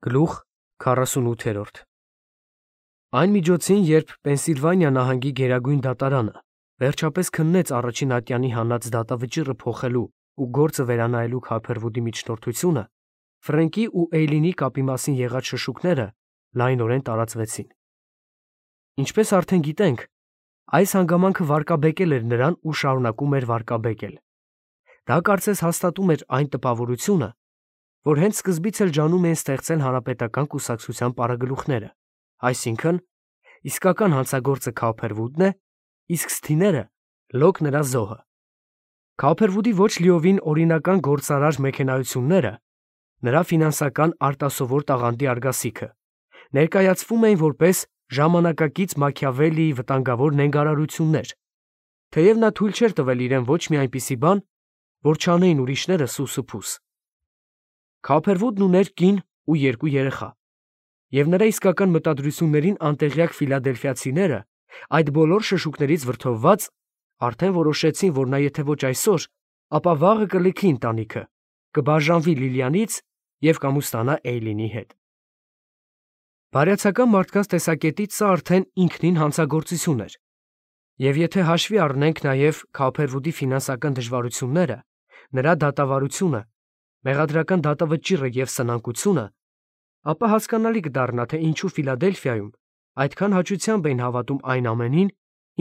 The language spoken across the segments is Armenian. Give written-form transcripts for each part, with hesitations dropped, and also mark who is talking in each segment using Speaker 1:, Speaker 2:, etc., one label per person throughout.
Speaker 1: Գլուխ 48 Այն միջոցին, երբ Պենսիլվանիա նահանգի գերագույն դատարանը վերջապես քննեց առաջին ատյանի հանած դատավճիռը փոխելու ու գործը վերանայելու Քոփերվուդի միջնորդությունը, Ֆրենկի ու Էյլինի կապի մասին եղած շշուկները լայնորեն տարածվեցին։ Ինչպես արդեն գիտենք, այս հանգամանքը վարկաբեկել էր նրան ու շարունակում էր վարկաբեկել։ Դա կարծես հաստատում էր այն տպավորությունը, որ հենց սկզբից էլ ջանում էին ստեղծել հանրապետական կուսակցության պարագլուխները, այսինքն իսկական հանցագործը Քոփերվուդն է, իսկ սթիները լոկ նրա զոհը։ Քոփերվուդի ոչ լիովին օրինական գործարար մեքենայությունները, նրա ֆինանսական արտասովոր տաղանդի արգասիքը, ներկայացվում էին որպես ժամանակակից Մաքիավելիի վտանգավոր նենգարարություններ, թեև նա թույլ չէր տվել իրեն ոչ մի այնպիսի բան, որ չանեին ուրիշները սուսուփուս։ Քոփերվուդն ուներ կին ու երկու երեխա, և նրա իսկական մտադրություններին անտեղյակ ֆիլադելֆիացիները, այդ բոլոր շշուկներից վրդովված, արդեն որոշեցին, որ նա եթե ոչ այսօր, ապա վաղը կլքի ընտանիքը, կբաժանվի Լիլիանից և կամուստանա Էյլինի հետ։ Բարյացակամ մարդկանց տեսակետից սա արդեն ինքնին հանցագործություն էր, և եթե հաշվի առնենք նաև Քոփերվուդի ֆինանսական դժվարությունները, նրա դատավարությունը, մեղադրական դատավճիռը և սնանկությունը, ապա հասկանալի կդառնա, թե ինչու Ֆիլադելֆիայում այդքան հաճությամբ էին հավատում այն ամենին,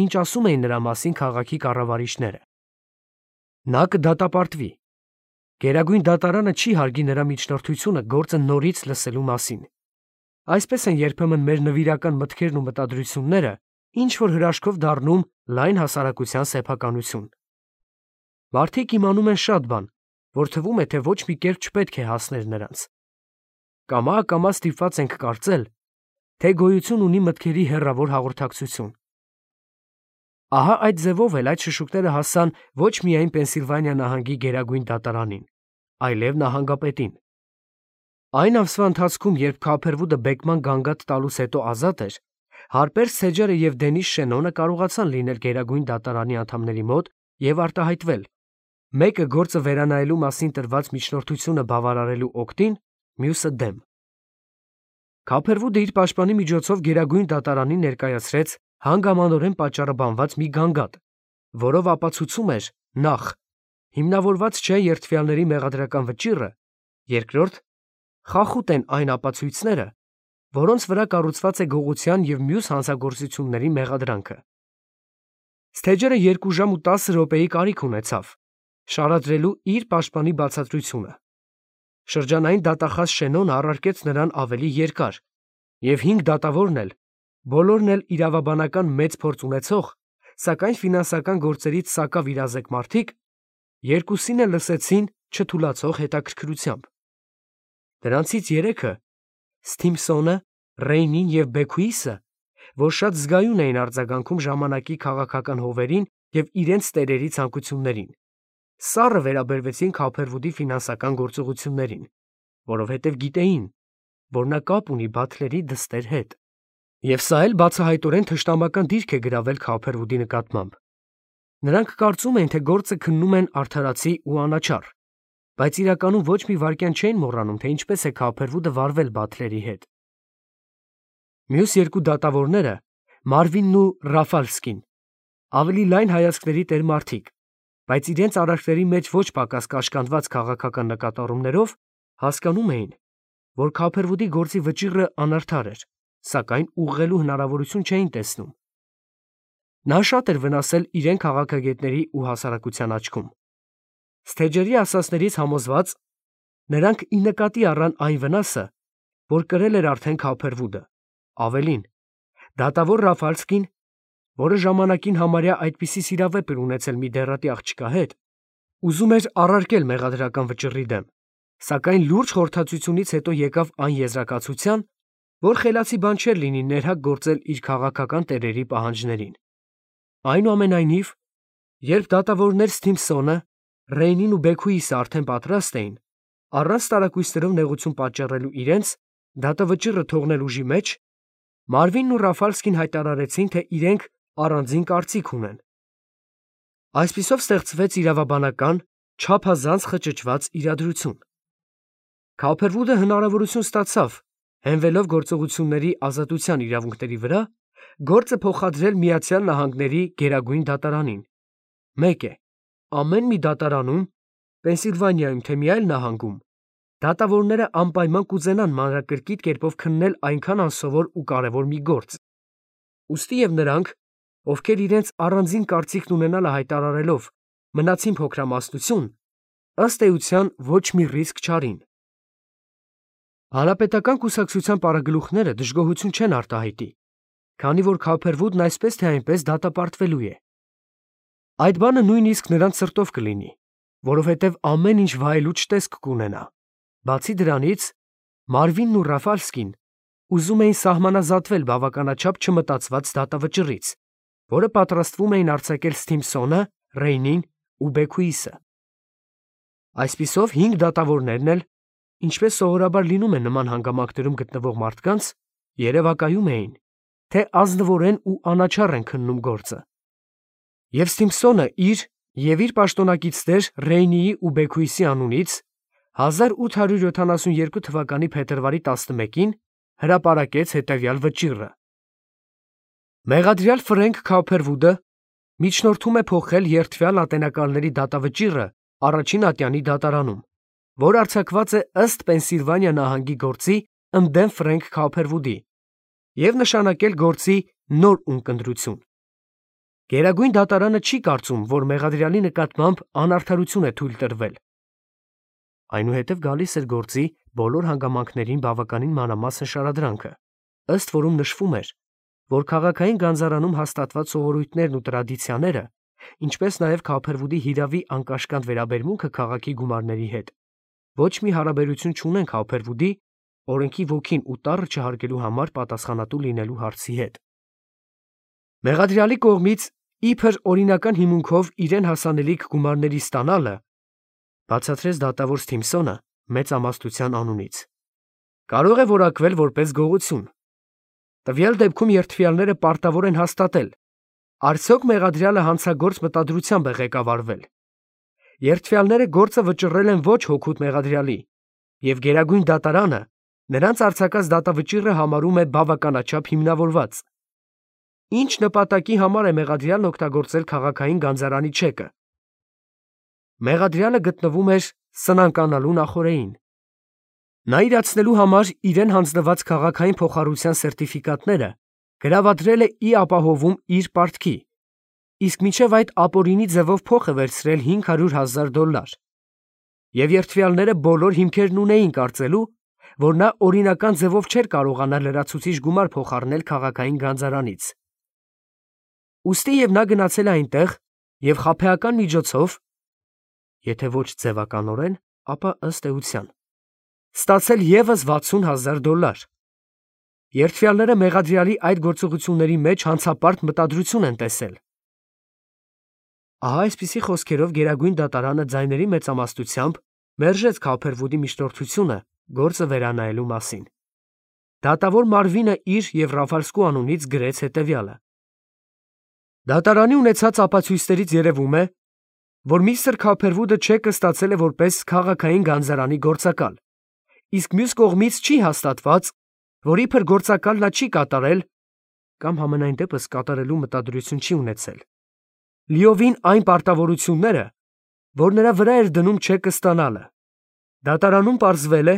Speaker 1: ինչ ասում էին նրա մասին քաղաքի կառավարիչները։ Նա կդատապարտվի։ Գերագույն դատարանը չի հարգի նրա միջնորդությունը գործը նորից լսելու մասին։ Այսպես են երբեմն մեր նվիրական մտքերն ու մտադրությունները ինչ-որ հրաշքով դառնում լայն հասարակության սեփականություն։ Մարդիկ իմանում են շատ բան, որ թվում է, թե ոչ մի կերպ չպետք է հասներ նրանց։ Կամա ստիպված ենք կարծել, թե գոյություն ունի մտքերի հեռավոր հաղորդակցություն։ Ահա այդ ձևով էլ այդ շշուկները հասան ոչ միայն Պենսիլվանիա նահանգի գերագույն դատարանին, այլև նահանգապետին։ Այն ամսվա ընթացքում, երբ Քոփերվուդը բեկման գանգատ տալուց հետո ազատ էր, Հարպեր Սեջերը և Դենիս Շենոնը կարողացան լինել գերագույն դատարանի անդամների մոտ և արտահայտվել, մեկը գործը վերանայելու մասին տրված միջնորդությունը բավարարելու օգտին, մյուսը դեմ։ Քոփերվուդը իր պաշտպանի միջոցով գերագույն դատարանին ներկայացրեց հանգամանորեն պատճառաբանված մի գանգատ, որով ապացուցում էր նախ. հիմնավորված չէ երդվյալների մեղադրական վճիռը, երկրորդ. խախուտ են այն ապացույցները, որոնց վրա կառուցված է գողության և մյուս հանցագործությունների մեղադրանքը։ Սթեջերը 2 ժամ ու 10 րոպեի կարիք ունեցավ շարադրելու իր պաշտպանի բացատրությունը։ Շրջանային դատախազ Շենոնը առարկեց նրան ավելի երկար, և 5 դատավորն էլ, բոլորն էլ իրավաբանական մեծ փորձ ունեցող, սակայն ֆինանսական գործերից սակավ իրազեկ մարդիկ, երկուսին էլ լսեցին չթուլացող հետաքրքրությամբ։ Դրանցից 3-ը՝ Սթիմփսոնը, Ռեյնին և Բեքուիսը, որ շատ զգայուն էին արձագանքում ժամանակի քաղաքական հովերին և իրենց տերերի ցանկություններին, սառը վերաբերվեցին Քոփերվուդի ֆինանսական գործողություններին, որովհետև գիտեին, որ նա կապ ունի Բաթլերի դստեր հետ։ Եվ սա էլ բացահայտորեն թշնամական դիրք է գրավել Քոփերվուդի նկատմամբ։ Նրանք կարծում էին, թե գործը քննում են արդարացի ու անաչառ, բայց իրականում ոչ մի վայրկյան չէին մոռանում, թե ինչպես է Քոփերվուդը վարվել Բաթլերի հետ։ Մյուս 2 դատավորները՝ Մարվինն ու Ռաֆալսկին, ավելի լայն հայացքների տեր մարդիկ, բայց իրենց արարքների մեջ ոչ պակաս կաշկանդված քաղաքական նկատառումներով, հասկանում էին, որ Քոփերվուդի գործի վճիռը անարդար էր, սակայն ուղղելու հնարավորություն չէին տեսնում։ Նա շատ էր վնասել իրեն քաղաքագետների ու հասարակության աչքում։ Սթեջերի ասածներից համոզված, նրանք ի նկատի առան այն վնասը, որ կրել էր արդեն Քոփերվուդը, ավելին, դատավոր Ռաֆալսկին, որը ժամանակին համարյա այդպիսի սիրավեպ էր ունեցել մի դեռատի աղջկա հետ, ուզում էր առարկել մեղադրական վճիռի դեմ, սակայն լուրջ խորհրդածությունից հետո եկավ այն եզրակացության, որ խելացի բան չէր լինի ներհակ գործել իր քաղաքական տերերի պահանջներին։ Այնուամենայնիվ, երբ դատավորներ Սթիմփսոնը, Ռեյնին ու Բեքուիսը արդեն պատրաստ էին, առանց տարակույսերով նեղություն պատճառելու իրենց դատավճիռը թողնել ուժի մեջ, Մարվինն ու Ռաֆալսկին հայտարարեցին, թե իրենք առանձին կարծիք ունեն։ Այսպիսով ստեղծվեց իրավաբանական, չափազանց խճճված իրադրություն։ Քոփերվուդը հնարավորություն ստացավ հենվելով գործողությունների ազատության իրավունքների վրա, գործը փոխադրել Միացյալ Նահանգների Գերագույն դատարանին։ 1. Ամեն մի դատարանում, Պենսիլվանիայում թե մի այլ նահանգում, դատավորները անպայման կուզենան մանրակրկիտ կերպով քննել այնքան անսովոր ու կարևոր մի գործ։ Ուստի և նրանք, ովքեր իրենց առանձին կարծիքն ունենալը հայտարարելով մնացին փոքրամասնություն, ըստ էության ոչ մի ռիսկ չարին։ Հանրապետական կուսակցության պարագլուխները դժգոհություն չեն արտահայտի, քանի որ Քափերվուդն այսպես թե այնպես դատապարտվելու է։ Այդ բանը նույնիսկ նրանց սրտով կլինի, որովհետև ամեն ինչ վայելուչ տեսք կունենա։ Բացի դրանից, Մարվինն ու Ռաֆալսկին ուզում էին սահմանազատվել բավականաչափ չմտածված դատավճռից, որը պատրաստվում էին արձակել Սթիմփսոնը, Ռեյնին ու Բեքուիսը։ Այսպիսով 5 դատավորներն էլ, ինչպես սովորաբար լինում է նման հանգամանքներում գտնվող մարդկանց, երևակայում էին, թե ազնվորեն ու անաչառ են քննում գործը։ Եվ Սթիմփսոնը իր պաշտոնակիցներ Ռեյնիի ու Բեքուիսի անունից 1872 թվականի փետրվարի 11-ին հրապարակեց հետևյալ վճիռը. Մեղադրյալ Ֆրենք Քափերվուդը միջնորդում է փոխել երդվյալ ատենակալների դատավճիռը առաջին ատյանի դատարանում, որ արձակված է ըստ Պենսիլվանիա նահանգի գործի ընդդեմ Ֆրենք Քափերվուդի, և նշանակել գործի նոր ունկնդրություն։ Գերագույն դատարանը չի կարծում, որ մեղադրյալի նկատմամբ անարդարություն է թույլ տրվել։ Այնուհետև գալիս էր գործի բոլոր հանգամանքներին բավականին մանրամասն շարադրանքը, ըստ որում նշվում էր, որ քաղաքային գանձարանում հաստատված սովորույթներն ու տրադիցիաները, ինչպես նաև Քափերվուդի հիրավի անկաշկանդ վերաբերմունքը քաղաքի գումարների հետ, ոչ մի հարաբերություն չունեն Քափերվուդի օրենքի ոգին ու տառը չհարգելու համար պատասխանատու լինելու հարցի հետ։ Մեղադրյալի կողմից իբր օրինական հիմունքով իրեն հասանելիք գումարների ստանալը, բացատրեց դատավոր Սթիմփսոնը մեծամասնության անունից, կարող է որակվել որպես գողություն։ Տվյալ դեպքում երդվյալները պարտավոր են հաստատել, արդյոք մեղադրյալը հանցագործ մտադրությամբ է ղեկավարվել։ Երդվյալները գործը վճռել են ոչ հօգուտ մեղադրյալի, և Գերագույն դատարանը նրանց արձակած դատավճիռը համարում է բավականաչափ հիմնավորված։ Ինչ նպատակի համար է մեղադրյալն օգտագործել քաղաքային գանձարանի չեկը։ Մեղադրյալը գտնվում էր սնանկանալու նախօրեին։ Նա իրացնելու համար իրեն հանձնված քաղաքային փոխառության սերտիֆիկատները գրավադրել է ի ապահովում իր պարտքի, իսկ մինչև այդ ապօրինի ձևով փող է վերցրել $500,000, և երդվյալները բոլոր հիմքերն ունեին կարծելու, որ նա օրինական ձևով չէր կարողանա լրացուցիչ գումար փոխառնել քաղաքային գանձարանից։ Ուստի և նա գնացել է այնտեղ և խաբեական միջոցով, եթե ոչ ձևականորեն, ապա ըստ էության, ստացել ևս $60,000։ Երդվյալները մեղադրյալի այդ գործողությունների մեջ հանցապարտ մտադրություն են տեսել։ Ահա այսպիսի խոսքերով Գերագույն դատարանը ձայների մեծամասնությամբ մերժեց Քափերվուդի միջնորդությունը գործը վերանայելու մասին։ Դատավոր Մարվինը իր և Ռաֆալսկու անունից գրեց հետևյալը. Դատարանի ունեցած ապացույցներից երևում է, որ միստր Քափերվուդը չեկը ստացել է որպես քաղաքային գանձարանի գործակալ, իսկ մյուս կողմից չի հաստատված, որ իբր գործակալ նա չի կատարել կամ համենայն դեպս կատարելու մտադրություն չի ունեցել լիովին այն պարտավորությունները, որ նրա վրա էր դնում չեկը ստանալը։ Դատարանում պարզվել է,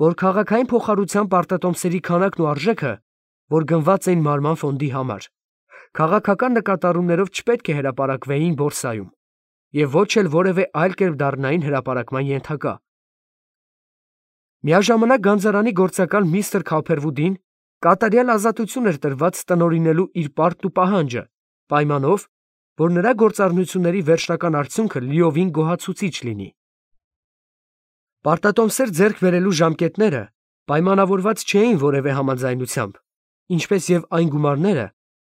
Speaker 1: որ քաղաքային փոխառության պարտատոմսերի քանակն ու արժեքը, որ գնված էին մարման ֆոնդի համար, քաղաքական նկատառումներով չպետք է հրապարակվեին բորսայում և ոչ էլ որևէ այլ կերպ դառնային հրապարակման ենթակա։ Միաժամանակ գանձարանի գործակալ միստր Քափերվուդին կատարյալ ազատություն էր տրված տնօրինելու իր պարտն ու պահանջը, պայմանով, որ նրա գործառնությունների վերջնական արդյունքը լիովին գոհացուցիչ լինի։ Պարտատոմսեր ձեռք բերելու ժամկետները պայմանավորված չէին որևէ համաձայնությամբ, ինչպես և այն գումարները,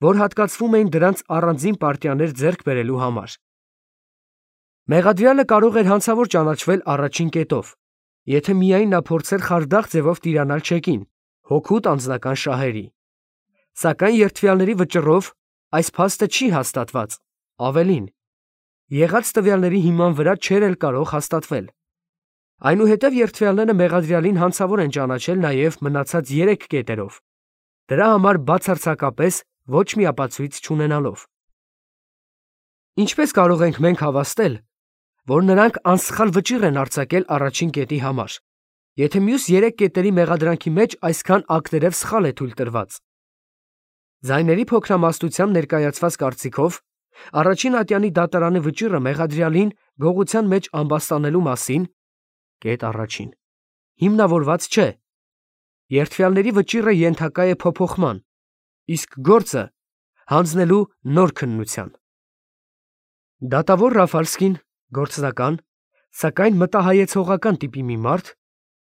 Speaker 1: որ հատկացվում էին դրանց առանձին պարտիաներ ձեռք բերելու համար։ Մեղադրյալը կարող էր հանցավոր ճանաչվել առաջին կետով, եթե միայն նա փորձեր խարդախ ձևով տիրանալ չեկին, հօգուտ անձնական շահերի։ Սակայն երդվյալների վճռով այս փաստը չի հաստատված, ավելին, եղած տվյալների հիման վրա չէր էլ կարող հաստատվել։ Այնուհետև երդվյալները մեղադրյալին հանցավոր են ճանաչել նաև մնացած 3 կետերով, դրա համար բացարձակապես ոչ մի ապացույց չունենալով։ Ինչպես կարող ենք մենք հավաստել, որ նրանք անսխալ վճիռ են արձակել առաջին կետի համար, եթե մյուս 3 կետերի մեղադրանքի մեջ այսքան ակտերև սխալ է թույլ տրված։ Ձայների փոքրամասնությամբ ներկայացված կարծիքով առաջին ատյանի դատարանի վճիռը մեղադրյալին գողության մեջ ամբաստանելու մասին կետ առաջին հիմնավորված չէ։ Երդվյալների վճիռը ենթակա է փոփոխման, իսկ գործը հանձնելու նոր քննության։ Դատավոր Ռաֆալսկին գործնական, սակայն մտահայեցողական տիպի մի մարդ,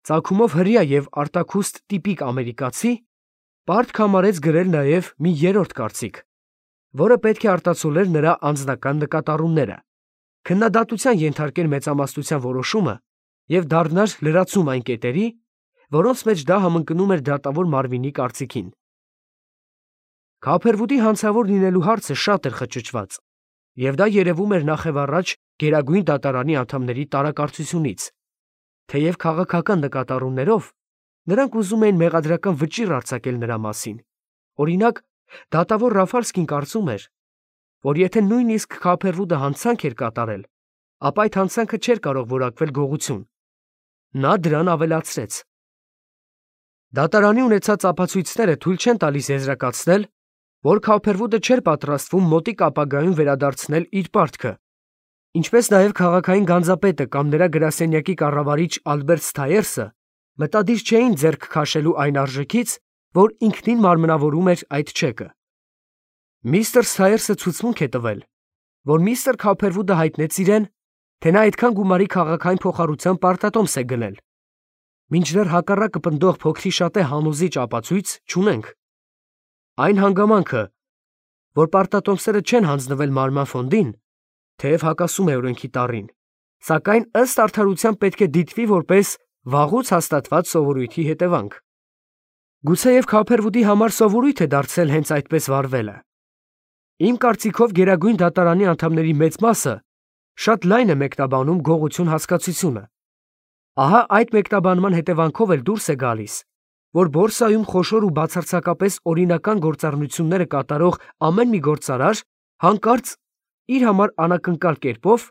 Speaker 1: ծագումով հրեա և արտաքուստ տիպիկ ամերիկացի, պարտք համարեց գրել նաև մի երրորդ կարծիք, որը պետք է արտացոլեր նրա անձնական նկատառումները, քննադատության ենթարկեր մեծամասնության որոշումը և դառնար լրացում այն կետերի, որոնց մեջ դա համընկնում էր դատավոր Մարվինի կարծիքին։ Քափերվուդի հանցավոր լինելու հարցը շատ էր խճճված, և դա երևում էր նախևառաջ Գերագույն դատարանի անդամների տարակարծությունից, թեև քաղաքական նկատառումներով նրանք ուզում էին մեղադրական վճիռ արձակել նրա մասին։ Օրինակ, դատավոր Ռաֆալսկին կարծում էր, որ եթե նույնիսկ Քափերվուդը հանցանք էր կատարել, ապա այդ հանցանքը չէր կարող որակվել գողություն։ Նա դրան ավելացրեց. դատարանի ունեցած ապացույցները թույլ չեն տալիս եզրակացնել, որ Քափերվուդը չէր պատրաստվում մոտիկ ապագայում վերադարձնել իր պարտքը, ինչպես նաև քաղաքային գանձապետը կամ նրա գրասենյակի կառավարիչ Ալբերտ Սթայերսը մտադիր չէին ձեռք քաշելու այն արժեքից, որ ինքնին մարմնավորում էր այդ չեկը։ Միստր Սթայերսը ցուցմունք է տվել, որ միստր Քափերվուդը հայտնեց իրեն, թե նա այդքան գումարի քաղաքային փոխառության պարտատոմս է գնել։ Մինչդեռ հակառակը պնդող փոքրիշատե հանուզիչ ապացույց չունենք։ Այն հանգամանքը, որ պարտատոմսերը չեն հանձնվել Մարման ֆոնդին, թեև հակասում է օրենքի տառին, սակայն ըստ արդարության պետք է դիտվի որպես վաղուց հաստատված սովորույթի հետևանք։ Գուցեև Քափերվուդի համար սովորույթ է դարձել հենց այդպես վարվելը։ Իմ կարծիքով Գերագույն դատարանի անդամների մեծ մասը շատ լայն է մեկնաբանում գողություն հասկացությունը։ Ահա այդ մեկնաբանման հետևանքով էլ դուրս է գալիս, որ բորսայում խոշոր ու բացարձակապես օրինական գործառնությունները կատարող ամեն մի գործարար հանկարծ իր համար անակնկալ կերպով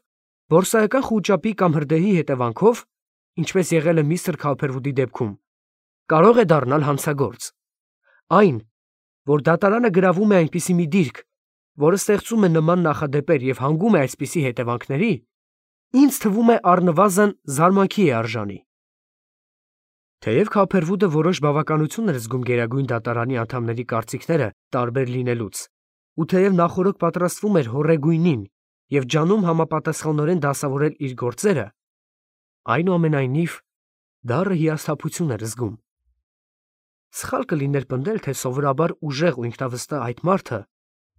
Speaker 1: բորսայական խուճապի կամ հրդեհի հետևանքով, ինչպես եղել է միստր Քափերվուդի դեպքում, կարող է դառնալ հանցագործ։ Այն, որ դատարանը գրավում է այնպիսի մի դիրք, որը ստեղծում է նման նախադեպեր և հանգում է այսպիսի հետևանքների, ինձ թվում է առնվազն զարմանքի է արժանի։ Թեև Քափերվուդը որոշ բավականություն էր զգում Գերագույն դատարանի անդամների կարծիքները տարբեր լինելուց, ու թեև նախօրոք պատրաստվում էր հոռեգույնին և ջանում համապատասխանորեն դասավորել իր գործերը, այնուամենայնիվ դառը հիասթափություն էր զգում։ Սխալ կլիներ պնդել, թե սովորաբար ուժեղ ու ինքնավստահ այդ մարդը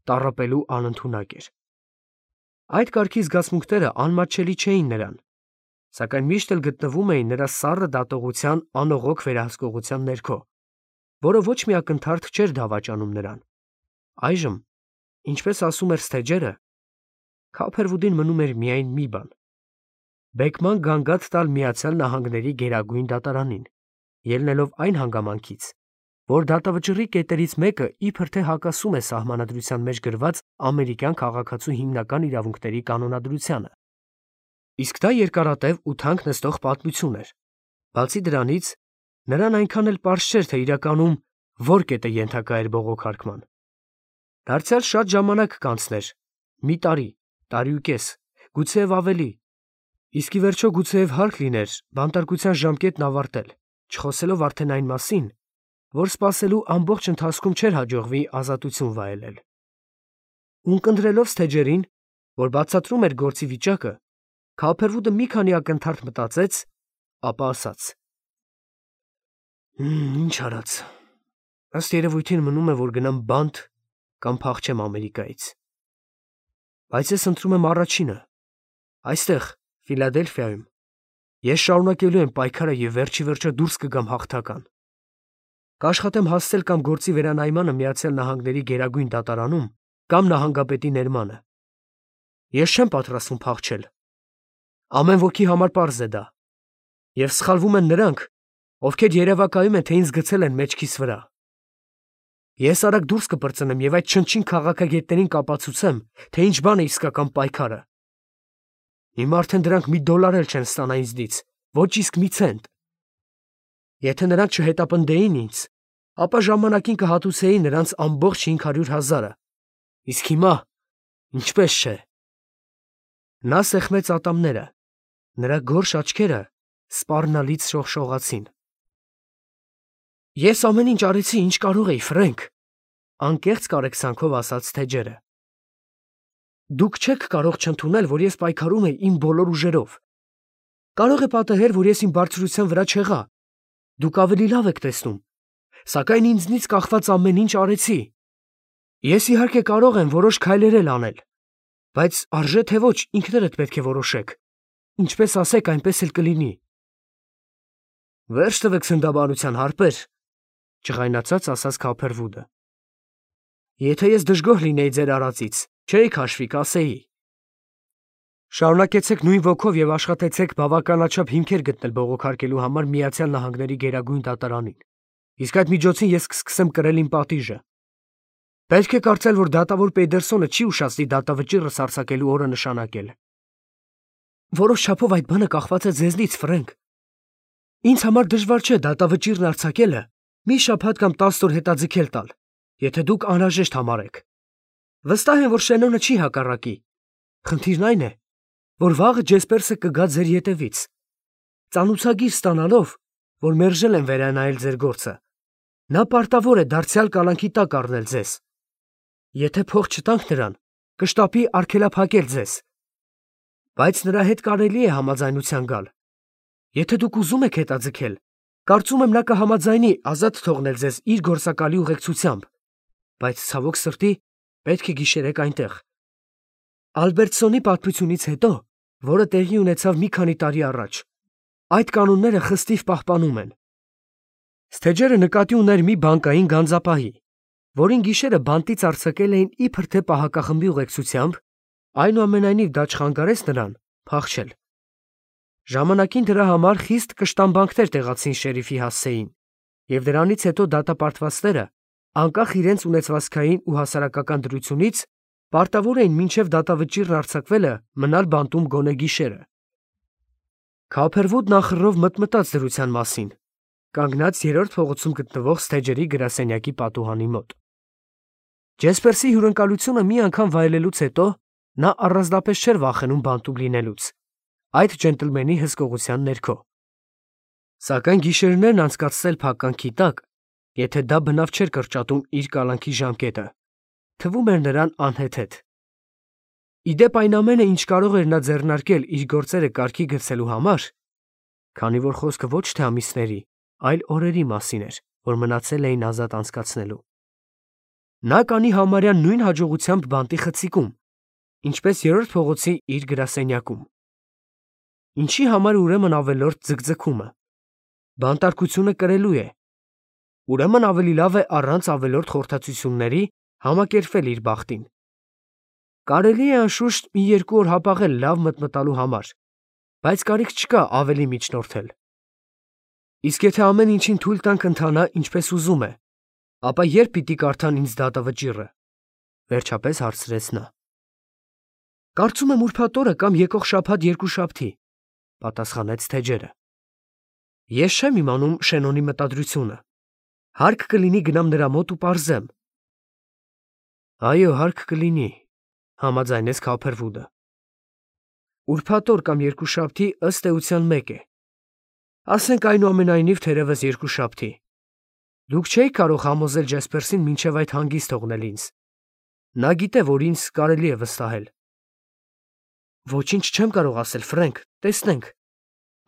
Speaker 1: տառապելու անընդունակ էր։ Այդ կարգի զգացմունքները անմատչելի չէին նրան, սակայն միշտ էլ գտնվում էին նրա սառը դատողության անողոք վերահսկողության ներքո, որը ոչ մի ակնթարթ չէր դավաճանում նրան։ Այժմ, ինչպես ասում էր Սթեջերը, Քափերվուդին մնում էր միայն մի բան՝ բեկման գանգատ տալ Միացյալ Նահանգների Գերագույն դատարանին, ելնելով այն հանգամանքից, որ դատավճռի կետերից մեկը իբր թե հակասում է սահմանադրության մեջ գրված ամերիկյան քաղաքացու հիմնական իրավունքների կանոնադրությանը։ Իսկ դա երկարատև ու թանկ նստող պատմություն էր։ Բացի դրանից, նրան այնքան էլ պարզ չէր, թե իրականում որ կետը ենթակա էր բողոքարկման։ Դարձյալ շատ ժամանակ կանցներ, մի տարի, տարիուկես, գուցեև ավելի, իսկ ի վերջո գուցեև հարկ լիներ բանտարկության ժամկետն ավարտել, չխոսելով արդեն այն մասին, որ սպասելու ամբողջ ընթացքում չէր հաջողվի ազատություն վայելել։ Ունկնդրելով Սթեջերին, որ բացատրում էր գործի վիճակը, Քափերվուդը մի քանի ակնթարթ մտածեց, ապա ասաց. Ինչ արած, ըստ երևույթին մնում է, որ գնամ բանտ կամ փախչեմ Ամերիկայից։ Բայց ես ընտրում եմ առաջինը, այստեղ, Ֆիլադելֆիայում, ես շարունակելու եմ պայքարը և վերջի վերջո դուրս կգամ հաղթական։ Կաշխատեմ հասցել կամ գործի վերանայմանը Միացյալ Նահանգների Գերագույն դատարանում կամ նահանգապետի ներմանը։ Ես չեմ պատրաստվում փախչել։ Ամեն ոքի համար պարզ է դա։ Եվ սխալվում են նրանք, ովքեր երևակայում են, թե ինձ գցել են մեջքիս վրա։ Ես արագ դուրս կպրծնեմ եւ այդ չնչին քաղաքագետներին կապացուցեմ, թե ինչ բան է իսկական պայքարը։ Հիմա արդեն դրանք $1 էլ չեն ստանա ինձնից, ոչ իսկ մի ցենտ։ Եթե նրանք չհետապնդեին ինձ, ապա ժամանակին կհատուցեի նրանց ամբողջ 500,000-ը։ Իսկ հիմա, ինչպես չէ։ Նա սեղմեց ատամները, նրա գորշ աչքերը սպառնալից շողշողացին։ Ես ամեն ինչ արեցի, ինչ կարող էի, Ֆրենկ, անկեղծ կարեկցանքով ասաց Թեջերը։ Դուք չեք կարող չընդունել, որ ես պայքարում էի իմ բոլոր ուժերով։ Կարող է պատահել, որ ես իմ բարձրության վրա չեղա։ Դուք ավելի լավ եք տեսնում, սակայն ինձնից կախված ամեն ինչ արեցի։ Ես իհարկե կարող եմ որոշ քայլեր էլ անել, բայց արժե թե ոչ, ինքներդ պետք է որոշեք։ Ինչպես ասեք, այնպես էլ կլինի։ Վերջ տվեք սնդաբանության, հարպեր, ջղայնացած ասաց Քոփերվուդը։ Եթե ես դժգոհ լինեի ձեր արածից, չէի քաշվի, կասեի։ Շարունակեցեք նույն ոգով եւ աշխատեցեք բավականաչափ հիմքեր գտնել բողոքարկելու համար Միացյալ Նահանգների Գերագույն դատարանին։ Իսկ այդ միջոցին ես կսկսեմ կրել իմ պատիժը։ Պետք է կարծել, որ դատավոր Պեյդերսոնը չի ուշացնի դատավճիռը սարսակելու օրը նշանակել։ Որոշ չափով այդ բանը կախված է ձեզնից, Ֆրենկ։ Ինձ համար դժվար չէ դատավճիռն արձակելը մի շաբաթ կամ 10 օր հետաձգել տալ, եթե դուք անհրաժեշտ համարեք։ Վստահ եմ, որ Շենոնը չի հակառակի։ Խնդիրն այն է, որ վաղը Ջեսպերսը կգա ձեր ետևից, ծանուցագիր ստանալով, որ մերժել են վերանայել ձեր գործը։ Նա պարտավոր է դարձյալ կալանքի տակ առնել ձեզ։ Եթե փող չտանք նրան, կշտապի արգելափակել ձեզ։ Բայց նրա հետ կարելի է համաձայնության գալ։ Եթե դուք ուզում եք հետաձգել, կարծում եմ նա կհամաձայնի ազատ թողնել ձեզ իր գործակալի ուղեկցությամբ, բայց ցավոք սրտի պետք է գիշերեք այնտեղ։ Ալբերտսոնի պատմությունից հետո, որը տեղի ունեցավ մի քանի տարի առաջ, այդ կանոնները խստիվ պահպանում են։ Սթեջերը նկատի ուներ մի բանկային գանձապահի, որին գիշերը բանտից արձակել էին իբր թե պահակախմբի ուղեկցությամբ, այնուամենայնիվ դա չխանգարեց նրան փախչել։ Ժամանակին դրա համար խիստ կշտամբանքներ տեղացին շերիֆի հասցեին, եւ դրանից հետո դատապարտվածները, անկախ իրենց ունեցվածքային ու հասարակական դրությունից, պարտավոր էին մինչև դատավճիռն արձակվելը մնալ բանտում գոնե գիշերը։ Քոփերվուդն ախռով մտմտաց դրության մասին, կանգնած երրորդ փողոցում գտնվող Սթեջերի գրասենյակի պատուհանի մոտ։ Ջեսպերսի հյուրընկալությունը մի անգամ վայելելուց հետո նա առանձնապես չէր վախենում բանտում լինելուց, այդ ջենտլմենի հսկողության ներքո։ Սակայն գիշերներն անցկացնել փականքի տակ, եթե դա բնավ չէր կրճատում իր կալանքի ժամկետը, թվում էր նրան անհեթեթ։ Իդեպ այն ամենը, ինչ կարող էր նա ձեռնարկել իր գործերը կարգի գցելու համար, քանի որ խոսքը ոչ թե ամիսների, այլ օրերի մասին էր, որ մնացել էին ազատ անցկացնելու։ Նա կանի համարյա նույն հաջողությամբ բանտի խցիկում, ինչպես երրորդ փողոցի իր գրասենյակում։ Ինչի համար ուրեմն ավելորդ ձգձգումը։ Բանտարկությունը կրելու է։ Ուրեմն ավելի լավ է առանց ավելորդ խորհրդածությունների համակերպվել իր բախտին։ Կարելի է անշուշտ մի երկու օր հապաղել լավ մտմտալու համար, բայց կարիք չկա ավելի միջնորդել։ Իսկ եթե ամեն ինչին թույլ տանք ընթանա ինչպես ուզում է, ապա երբ պիտի կարդան ինձ դատավճիռը, վերջապես հարցրեց նա։ Կարծում եմ ուրբաթ օրը կամ եկող շաբաթ երկուշաբթի, պատասխանեց Թեջերը։ Ես չեմ իմանում Շենոնի մտադրությունը։ Հարկ կլինի գնամ նրա մոտ ու պարզեմ։ Այո, հարկ կլինի, համաձայնեց Քոփերվուդը։ Ուրբաթ օր կամ երկուշաբթի ըստ էության մեկ է։ Ասենք այնուամենայնիվ թերևս երկուշաբթի։ Դուք չէիք կարող համոզել Ջեսպերսին մինչև այդ հանգիստ թողնել ինձ։ Նա գիտե, որ ինձ կարելի է վստահել։ Ոչինչ չեմ կարող ասել, Ֆրենկ, տեսնենք։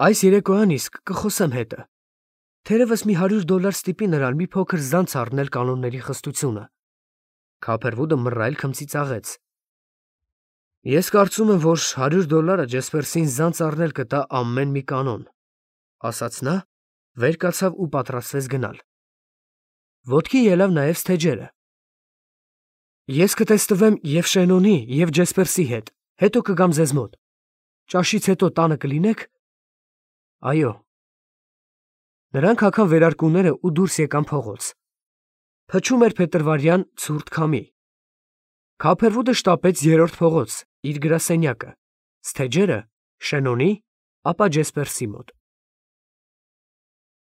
Speaker 1: Այս երեկոյան իսկ կխոսեմ հետը։ Թերևս մի $100 ստիպի նրան մի փոքր զանց առնել կանոնների խստությունը։ Քոփերվուդը մռայլ քմծիծաղեց։ Ես կարծում եմ, որ $100 Ջեսպերսին զանց առնել կտա ամեն մի կանոն, ասաց նա, վեր կացավ ու պատրաստվեց գնալ։ Ոտքի ելավ նաև Սթեջերը։ Ես կտեսնվեմ և Շենոնի, և Ջեսպերսի հետ, հետո կգամ ձեզ մոտ։ Ճաշից հետո տանը կլինեք։ Այո, Նրանք հագան վերարկուները ու դուրս եկան փողոց։ Փչում էր փետրվարյան ցուրտ քամի։ Քափերվուդը շտապեց երրորդ փողոց, իր գրասենյակը, Սթեջերը՝ Շենոնի, ապա Ջեսպերսի մոտ։